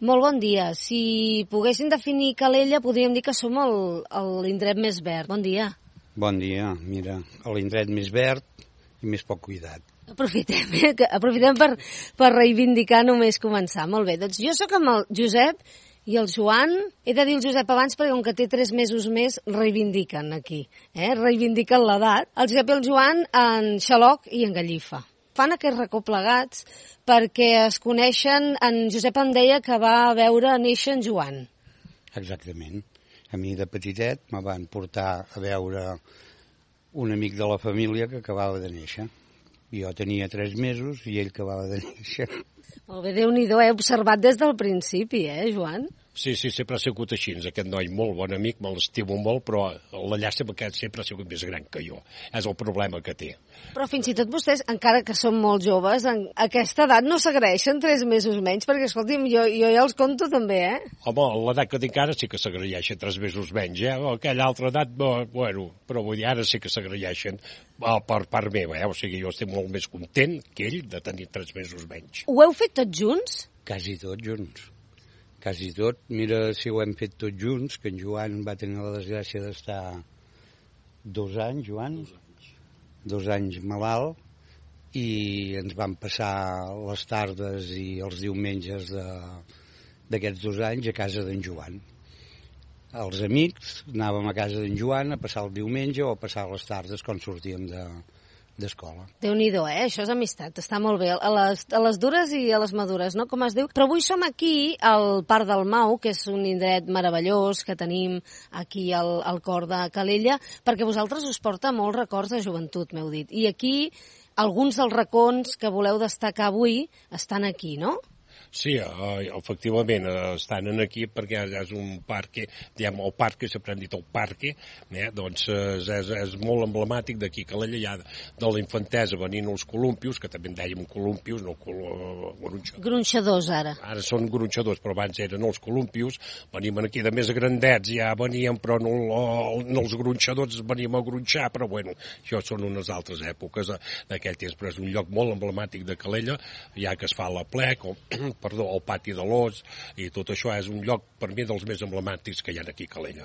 Molt bon dia. Si poguéssim definir Calella, podríem dir que som l'indret més verd. Bon dia. Bon dia. Mira, l'indret més verd i més poc cuidat. Aprofitem per reivindicar només començar. Molt bé, doncs jo sóc amb el Josep i el Joan. He de dir el Josep abans perquè com que té 3 mesos més reivindiquen aquí. Reivindiquen l'edat. El Josep i el Joan en Xaloc i en Gallifa. Fan aquest racó plegats perquè es coneixen. En Josep em deia que va veure néixer en Joan. Exactament. A mi de petitet me van portar a veure un amic de la família que acabava de néixer. Jo tenia 3 mesos i ell acabava de néixer. Molt bé, Déu-n'hi-do, he observat des del principi, Joan? Sí, sempre ha sigut així. Aquest noi, molt bon amic, me l'estimo molt, però la llàstima que sempre ha sigut més gran que jo. És el problema que té. Però fins i tot vostès, encara que són molt joves, en aquesta edat no s'agraeixen 3 mesos menys, perquè, escolti'm, jo ja els compto també, Home, l'edat que tinc ara sí que s'agraeixen 3 mesos menys, Aquella altra edat, bueno, però vull dir, ara sí que s'agraeixen per part meva, O sigui, jo estic molt més content que ell de tenir 3 mesos menys. Ho heu fet tots junts? Quasi tots junts. Quasi tot. Mira si ho hem fet tots junts, que en Joan va tenir la desgràcia d'estar 2 anys, Joan? 2 anys malalt, i ens vam passar les tardes i els diumenges d'aquests 2 anys a casa d'en Joan. Els amics anàvem a casa d'en Joan a passar el diumenge o a passar les tardes quan sortíem d'escola. Déu-n'hi-do, Això és amistat, està molt bé, a les dures i a les madures, no?, com es diu. Però avui som aquí, al Parc del Mau, que és un indret meravellós que tenim aquí al cor de Calella, perquè vosaltres us porta molts records de joventut, m'heu dit. I aquí, alguns dels racons que voleu destacar avui estan aquí, no? Sí, efectivament, estan aquí perquè és un parc, diguem, el parc, sempre hem dit el parc, doncs és molt emblemàtic d'aquí, Calella, ja de la infantesa venint els columpios, que també en dèiem columpios, no gronxadors, ara. Ara són gronxadors, però abans eren els columpios, venim aquí de més grandets, ja veníem, però no els gronxadors veníem a gronxar, però bueno, això són unes altres èpoques d'aquell temps, però és un lloc molt emblemàtic de Calella, ja que es fa la plec, el pati de l'Os, i tot això és un lloc, per mi, dels més emblemàtics que hi ha aquí a Calella.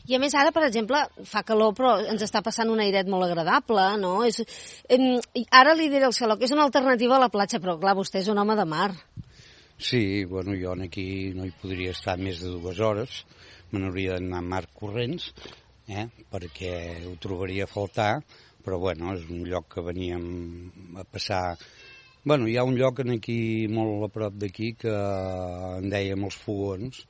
I a més ara, per exemple, fa calor, però ens està passant un airet molt agradable, no? Ara li diré al Xaloc que és una alternativa a la platja, però clar, vostè és un home de mar. Sí, bueno, jo aquí no hi podria estar més de 2 hores, me n'hauria d'anar a mar corrents, perquè ho trobaria a faltar, però bueno, és un lloc que veníem a passar. Bueno, hi ha un lloc aquí molt a prop d'aquí que en dèiem els fogons,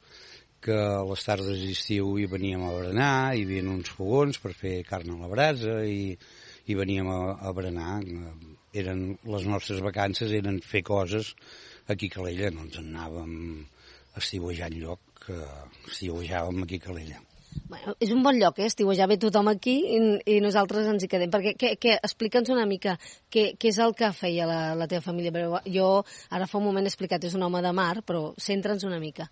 que a les tardes d'estiu hi veníem a berenar, hi havia uns fogons per fer carn a la brasa i veníem a berenar. Les nostres vacances eren fer coses aquí a Calella, no ens anàvem a estiuejar enlloc, estiuejàvem aquí a Calella. Bueno, és un bon lloc, estiuejar ve tothom aquí i nosaltres ens hi quedem. Perquè explica'ns una mica què és el que feia la teva família. Jo ara fa un moment he explicat, és un home de mar, però centra'ns una mica.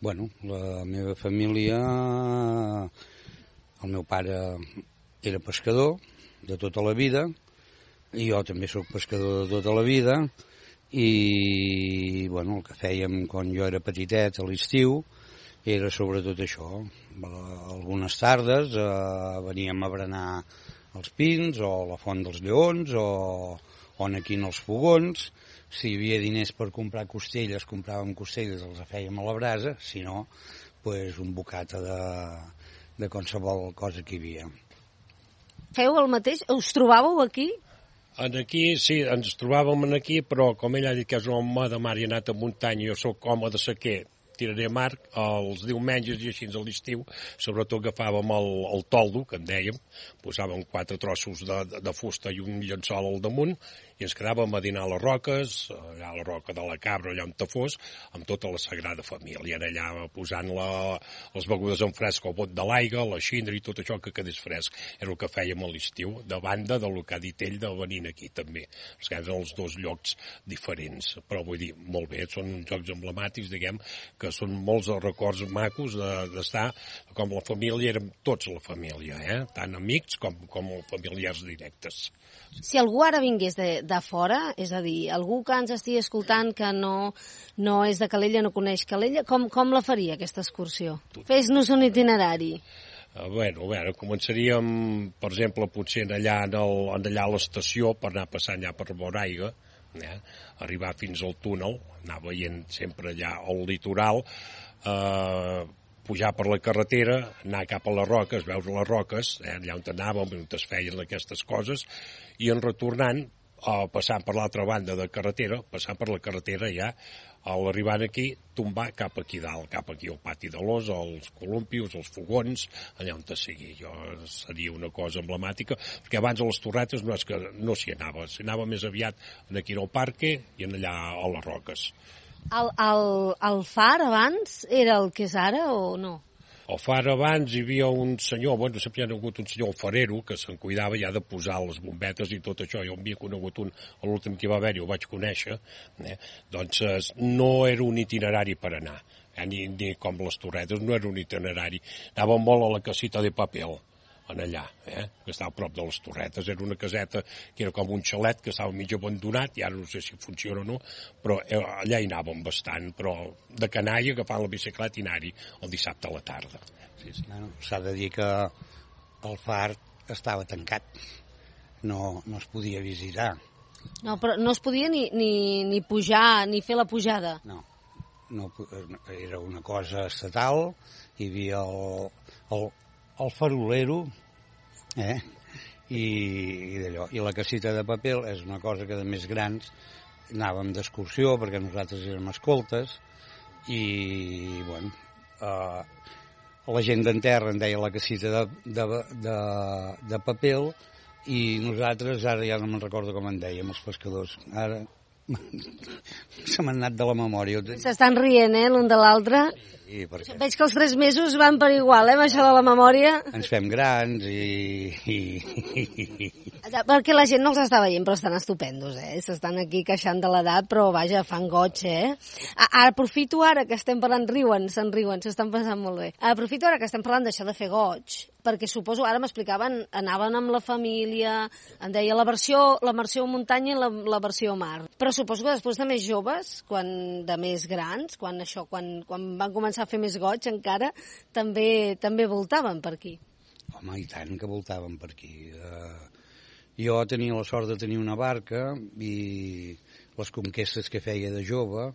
Bueno, la meva família, el meu pare era pescador de tota la vida, i jo també sóc pescador de tota la vida, i bueno, el que fèiem quan jo era petitet a l'estiu era sobretot això. Algunes tardes veníem a berenar als Pins o a la Font dels Lleons o aquí en els fogons. Si hi havia diners per comprar costelles, compràvem costelles, els fèiem a la brasa, si no, pues un bocata de qualsevol cosa que hi havia. Feu el mateix? Us trobàveu aquí? Aquí, sí, ens trobàvem aquí, però com ell ha dit que és un home de mar i ha anat a muntanya, jo sóc home de sequer, tiraré a mar els diumenges i així a l'estiu, sobretot agafàvem el toldo, que en dèiem, posàvem 4 trossos de fusta i un llençol al damunt, i ens quedàvem a dinar a les roques, allà a la roca de la Cabra, allà on fos, amb tota la Sagrada Família, allà posant les begudes en fresc, el bot de l'aigua, la xindra i tot això que quedés fresc. Era el que fèiem a l'estiu, de banda del que ha dit ell de venir aquí també. Que eren els 2 llocs diferents, però vull dir, molt bé, són uns jocs emblemàtics, diguem, que són molts records macos d'estar, com la família, érem tots la família, tant amics com familiars directes. Si algú ara vingués de fora, és a dir, algú que ens estigui escoltant que no és de Calella, no coneix Calella, com la faria aquesta excursió? Fes-nos un itinerari. Bueno, començaríem, per exemple, potser allà a l'estació, per anar passant allà per Boraiga, arribar fins al túnel, anar veient sempre allà al litoral, pujar per la carretera, anar cap a les roques, veure les roques, allà on anàvem, on es feien aquestes coses, i en retornant, passant per l'altra banda de carretera, passant per la carretera ja, a l'arribar aquí, tombar cap aquí dalt, cap aquí al pati de l'Os, als columpios, als fogons, allà on sigui. Seria una cosa emblemàtica, perquè abans a les Torretes no és que no s'hi anava més aviat aquí al parque i allà a les roques. El far abans era el que és ara o no? Al far abans hi havia un senyor, sempre hi ha hagut un senyor alfarero que se'n cuidava ja de posar les bombetes i tot això. Jo havia conegut l'últim que va haver-hi, ho vaig conèixer, doncs no era un itinerari per anar, ni com les Torretes, no era un itinerari. Anàvem molt a la casita de Papel, en allà, que estava a prop de les Torretes. Era una caseta que era com un xalet que estava mig abandonat, i ara no sé si funciona o no, però allà hi anàvem bastant, però de canalla, agafant la bicicleta i anar-hi el dissabte a la tarda. Sí. Bueno, s'ha de dir que el far estava tancat, no es podia visitar. No, però no es podia ni pujar, ni fer la pujada. No, era una cosa estatal, hi havia el farolero, i d'allò. I la casita de paper és una cosa que de més grans anàvem d'excursió perquè nosaltres érem escoltes i, bueno, la gent d'en terra en deia la casita de paper i nosaltres, ara ja no me'n recordo com en dèiem, els pescadors. Ara se m'han anat de la memòria. S'estan rient, l'un de l'altre. Sí, perquè... Veig que els 3 mesos van per igual, amb això de la memòria. Ens fem grans Perquè la gent no els està veient, però estan estupendos, S'estan aquí queixant de l'edat, però vaja, fan goig, Aprofito ara que estem parlant, se'n riuen, s'estan passant molt bé. Aprofito ara que estem parlant d'això de fer goig, perquè suposo, ara m'explicaven, anaven amb la família, em deia la versió muntanya i la versió mar. Però suposo que després de més joves, de més grans, quan van començar a fer més goig encara, també voltaven per aquí. Home, i tant que voltaven per aquí. Jo tenia la sort de tenir una barca i les conquestes que feia de jove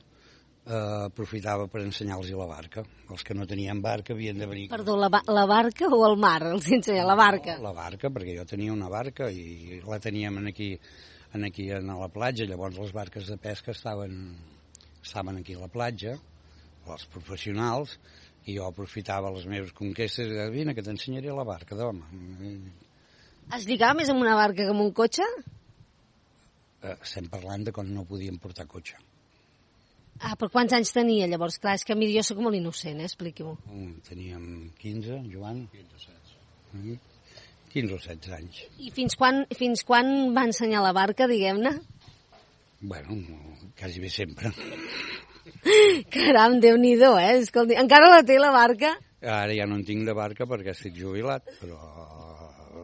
aprofitava per ensenyar-los la barca. Els que no tenien barca havien de venir... Perdó, la barca o el mar? Els ensenya la barca? No, la barca, perquè jo tenia una barca i la teníem aquí a la platja. Llavors les barques de pesca estaven aquí a la platja, els professionals, i jo aprofitava les meves conquestes i deia, vine que t'ensenyaré la barca, d'home. Es lligava més amb una barca que amb un cotxe? Estem parlant de quan no podíem portar cotxe. Però quants anys tenia llavors? Clar, és que a mi jo soc molt innocent, expliqui-m'ho. Teníem 15, Joan? 15 o 16 anys. I fins quan va ensenyar la barca, diguem-ne? Bueno, quasi bé sempre. Caram, Déu-n'hi-do, Escolti, encara la té la barca? Ara ja no en tinc de barca perquè estic jubilat, però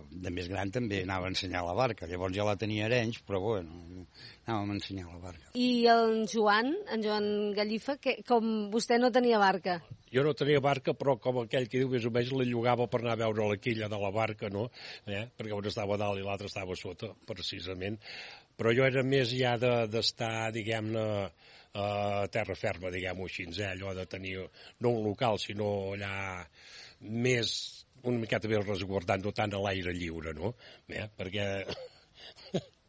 de més gran també anava a ensenyar la barca. Llavors ja la tenia a Arenys, però bueno, anàvem a ensenyar la barca. I en Joan Gallifa, com vostè no tenia barca? Jo no tenia barca, però com aquell que diu, més o menys la llogava per anar a veure la quilla de la barca, no? Perquè un estava a dalt i l'altre estava a sota, precisament. Però jo era més ja d'estar, diguem-ne, a terra ferma, diguem-ho així, allò de tenir no un local, sinó allà més, una miqueta més resguardant, no tant a l'aire lliure, no? Perquè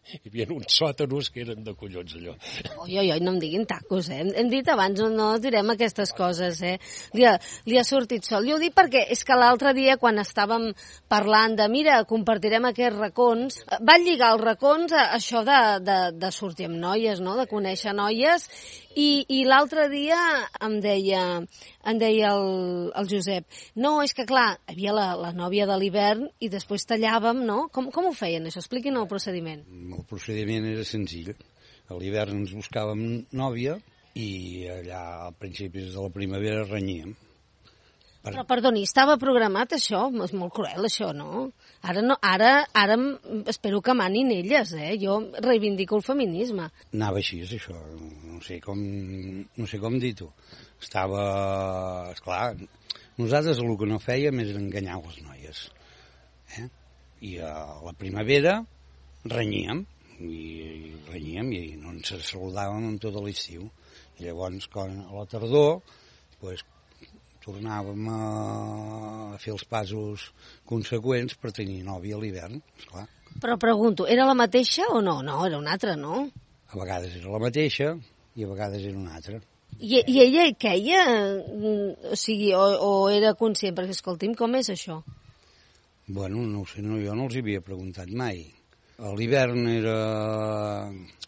hi havia uns sòtanos que eren de collons, allò. Oi, no em diguin tacos, Hem dit abans, no direm aquestes coses, Li ha sortit sol. Jo ho dic perquè és que l'altre dia, quan estàvem parlant de, mira, compartirem aquests racons, van lligar els racons a això de sortir amb noies, no?, de conèixer noies, i l'altre dia em deia el Josep, no, és que clar, hi havia la nòvia de l'hivern i després tallàvem, no? Com ho feien, això? Expliquin el procediment. El procediment era senzill. A l'hivern ens buscàvem nòvia i allà a principis de la primavera renyíem. Però, perdoni, estava programat això? És molt cruel, això, no? Ara espero que manin elles, Jo reivindico el feminisme. Anava així, això. No sé com dir-ho. Estava... Esclar, nosaltres el que no fèiem és enganyar les noies. I a la primavera renyíem i no ens saludàvem en tot l'estiu. I llavors, a la tardor, tornàvem a fer els passos conseqüents per tenir nòvia a l'hivern, esclar. Però pregunto, era la mateixa o no? No, era una altra, no? A vegades era la mateixa i a vegades era una altra. I ella queia? O sigui, o era conscient? Perquè, escolti'm, com és això? Bueno, no ho sé, jo no els havia preguntat mai. A l'hivern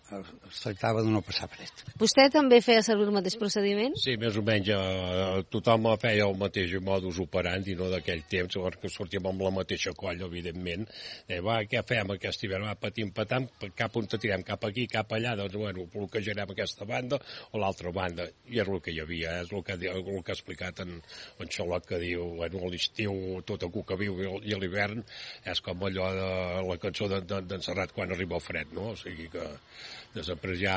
es tractava de no passar fred. Vostè també feia servir el mateix procediment? Sí, més o menys tothom feia el mateix modus operandi, no d'aquell temps, perquè sortíem amb la mateixa colla, evidentment. Què fem aquest hivern? Patim, patam, cap on tirem, cap aquí, cap allà, doncs, bueno, bloquejarem aquesta banda o l'altra banda. I és el que hi havia, és el que ha explicat en Xolot, que diu, bueno, a l'estiu tot a cuca viu i a l'hivern és com allò de la cançó d'en Serrat quan arriba el fred, no? O sigui que després ja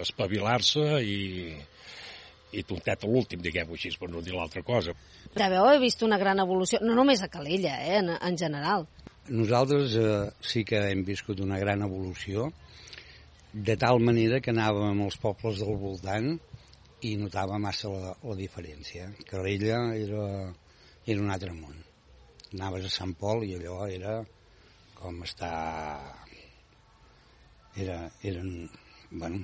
espavilar-se i tontet a l'últim, diguem-ho així, per no dir l'altra cosa. Ja veu, he vist una gran evolució, no només a Calella, en general. Nosaltres sí que hem viscut una gran evolució, de tal manera que anàvem als pobles del voltant i notava massa la diferència. Calella era un altre món. Anaves a Sant Pol i allò era com estar... Eren, bueno,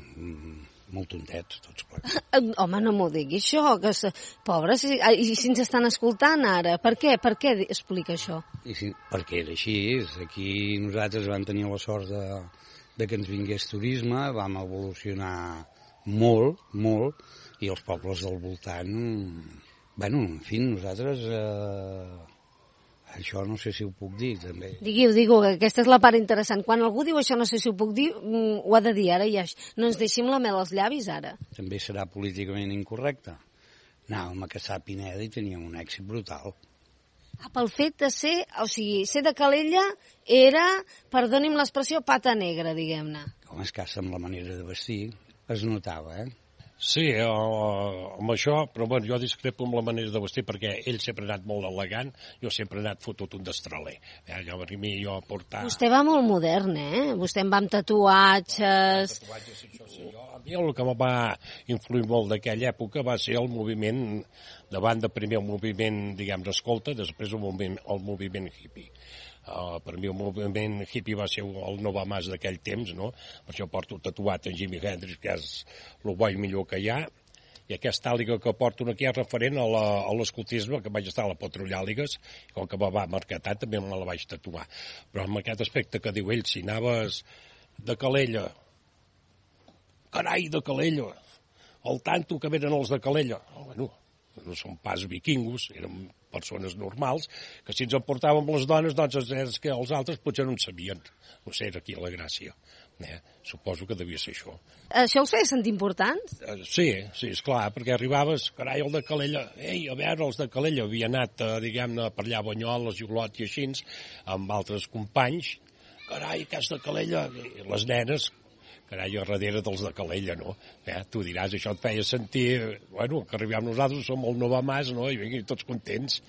molt tontets, tots plegats. Home, no m'ho digui això, que pobres, i si ens estan escoltant ara, per què explica això? Perquè era així, aquí nosaltres vam tenir la sort de que ens vingués turisme, vam evolucionar molt, molt, i els pobles del voltant, bueno, en fi, nosaltres... Això no sé si ho puc dir, també. Digue-ho, que aquesta és la part interessant. Quan algú diu això no sé si ho puc dir, ho ha de dir ara, ja. No ens deixem la mel als llavis, ara. També serà políticament incorrecte. Anàvem a caçar a Pineda i teníem un èxit brutal. Pel fet de ser, o sigui, ser de Calella era, perdoni'm l'expressió, pata negra, diguem-ne. Com es caça amb la manera de vestir, es notava, Sí, amb això, però bueno, jo discrepo amb la manera de vestir perquè ell sempre ha anat molt elegant, jo sempre he anat fotut un destraler. Jo portar... Vostè va molt modern, Vostè en va amb tatuatges... A mi el que em va influir molt d'aquella època va ser el moviment, davant de primer el moviment, diguem, escolta, després el moviment hippie. Per mi el moviment hippie va ser el Nova Mas d'aquell temps, no? Per això porto tatuat en Jimi Hendrix, que és el bo i millor que hi ha, i aquesta àliga que porto aquí és referent a l'escoltisme, que vaig estar a la Patrullàligues, i com que me va marcar tant, també me la vaig tatuar. Però amb aquest aspecte que diu ell, si anaves de Calella, carai, de Calella, al tanto que venen els de Calella, bueno, no són pas vikingos, eren persones normals, que si ens emportàvem les dones, doncs és que els altres potser no en sabien. No sé, era aquí la gràcia. Suposo que devia ser això. Això els feia sentir importants? Sí, esclar, perquè arribaves, carai, el de Calella, a veure, els de Calella havia anat, diguem-ne, per allà a Banyoles, Olot i així, amb altres companys, carai, que és de Calella, i les nenes, carai, a darrere dels de Calella, no? Tu diràs, això et feia sentir, bueno, que arribem nosaltres, som el Nova Mas, no? I tots contents,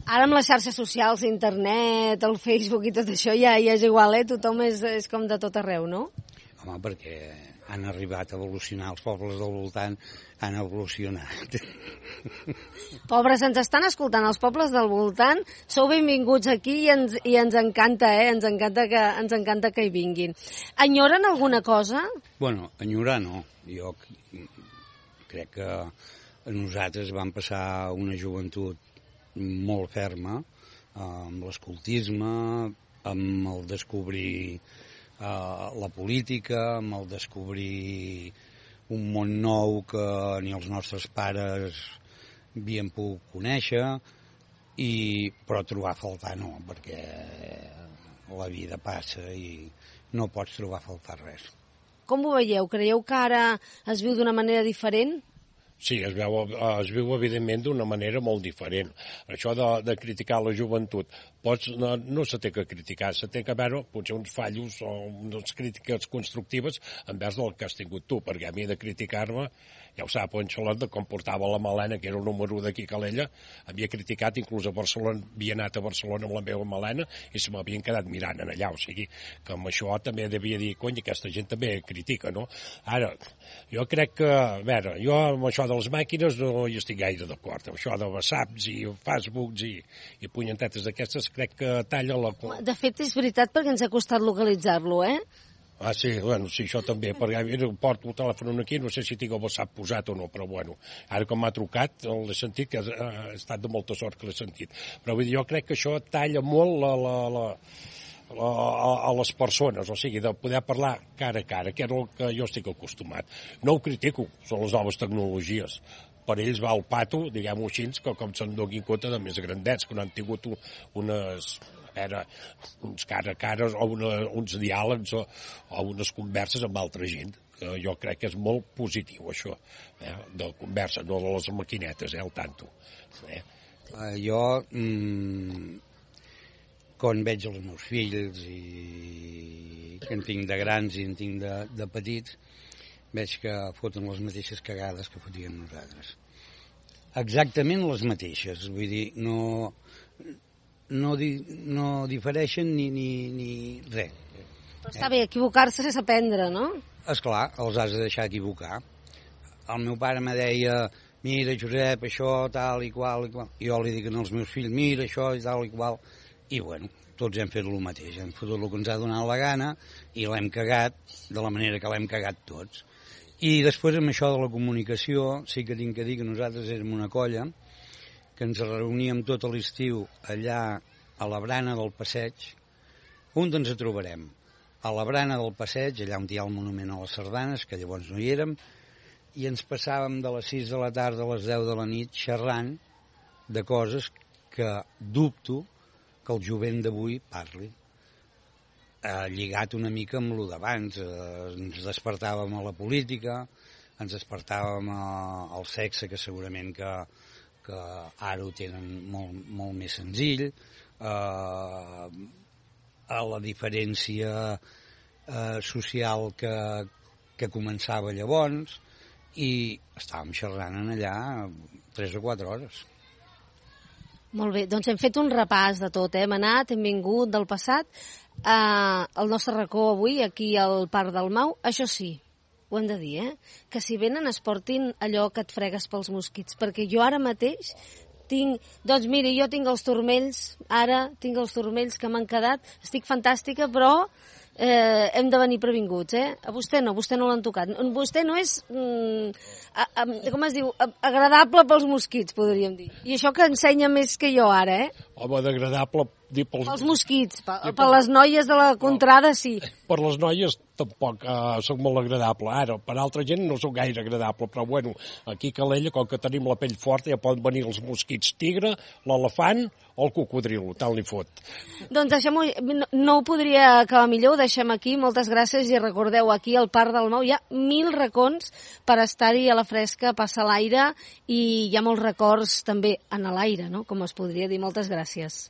Ara amb les xarxes socials, internet, el Facebook i tot això ja és igual, Tothom és com de tot arreu, no? Home, perquè han arribat a evolucionar, els pobles del voltant han evolucionat. Pobres, ens estan escoltant els pobles del voltant, sou benvinguts aquí i ens encanta, ens encanta que hi vinguin. Enyoren alguna cosa? Bueno, enyorar no. Jo crec que nosaltres vam passar una joventut molt ferma, amb l'escoltisme, amb el descobrir la política, amb el descobrir un món nou que ni els nostres pares havien pogut conèixer, però trobar a faltar no, perquè la vida passa i no pots trobar a faltar res. Com ho veieu? Creieu que ara es viu d'una manera diferent? Sí, es viu evidentment d'una manera molt diferent. Això de criticar la joventut, no se té que criticar, se té que veure potser uns fallos o unes crítiques constructives envers del que has tingut tu, perquè a mi de criticar-me, ja ho sap, en Xolot, de com portava la Malena, que era el número 1 d'aquí a Calella, havia criticat, inclús a Barcelona, havia anat a Barcelona amb la meva Malena i se m'havien quedat mirant en allà, o sigui, que amb això també devia dir, cony, aquesta gent també critica, no? Ara, jo crec que, a veure, jo amb això de les màquines no hi estic gaire d'acord, amb això de WhatsApps i Facebooks i punyentetes d'aquestes, crec que talla la... De fet, és veritat perquè ens ha costat localitzar-lo, eh? Ah, sí, bueno, sí, això també, perquè porto el telèfon aquí, no sé si tinc el WhatsApp posat o no, però bueno, ara com m'ha trucat, l'he sentit, que ha estat de molta sort que l'he sentit. Però vull dir, jo crec que això talla molt a les persones, o sigui, de poder parlar cara a cara, que era el que jo estic acostumat. No ho critico, són les noves tecnologies. Per ells va al pato, diguem-ho així, que com se'n donin compte de més grandets, que no han tingut uns cara a cara o uns diàlegs o unes converses amb altra gent. Jo crec que és molt positiu, això, de conversa, no de les maquinetes, al tanto. Jo, quan veig els meus fills, i que en tinc de grans i en tinc de petits, veig que foten les mateixes cagades que fotíem nosaltres. Exactament les mateixes, vull dir, no difereixen ni res. Però està bé, equivocar-se és aprendre, no? Esclar, els has de deixar equivocar. El meu pare me deia, mira, Josep, això, tal i qual, jo li dic als meus fills, mira, això i tal i qual, i bueno, tots hem fet el mateix, hem fotut el que ens ha donat la gana i l'hem cagat de la manera que l'hem cagat tots. I després amb això de la comunicació sí que tinc que dir que nosaltres érem una colla que ens reuníem tot l'estiu allà a la Brana del Passeig. On ens trobarem? A la Brana del Passeig, allà on hi ha el monument a les sardanes, que llavors no hi érem, i ens passàvem de les 6 de la tarda a les 10 de la nit xerrant de coses que dubto que el jovent d'avui parli. Lligat una mica amb lo d'abans, ens despertàvem a la política, ens despertàvem al sexe, que segurament que ara ho tenen molt més senzill, a la diferència social que començava llavors, i estàvem xerrant allà 3 o 4 hores. Molt bé, doncs hem fet un repàs de tot, hem anat, hem vingut del passat. El nostre racó avui, aquí al Parc del Mau, això sí, ho hem de dir, que si venen es portin allò que et fregues pels mosquits, perquè jo ara mateix doncs miri, jo tinc els turmells, ara tinc els turmells que m'han quedat, estic fantàstica, però hem de venir previnguts, A vostè no l'han tocat. Vostè no és, com es diu, agradable pels mosquits, podríem dir. I això que ensenya més que jo ara, Home, d'agradable dir pels mosquits, per les noies de la contrada sí. Per les noies tampoc soc molt agradable. Ara, per altra gent no soc gaire agradable, però bueno, aquí a Calella, com que tenim la pell forta, ja poden venir els mosquits tigre, l'elefant o el cocodrilo, tal li fot. Doncs deixem-ho, no ho podria acabar millor, ho deixem aquí, moltes gràcies, i recordeu, aquí al Parc del Mau hi ha 1000 racons per estar-hi a la fresca, passar l'aire, i hi ha molts records també en l'aire, no?, com es podria dir. Moltes gràcies.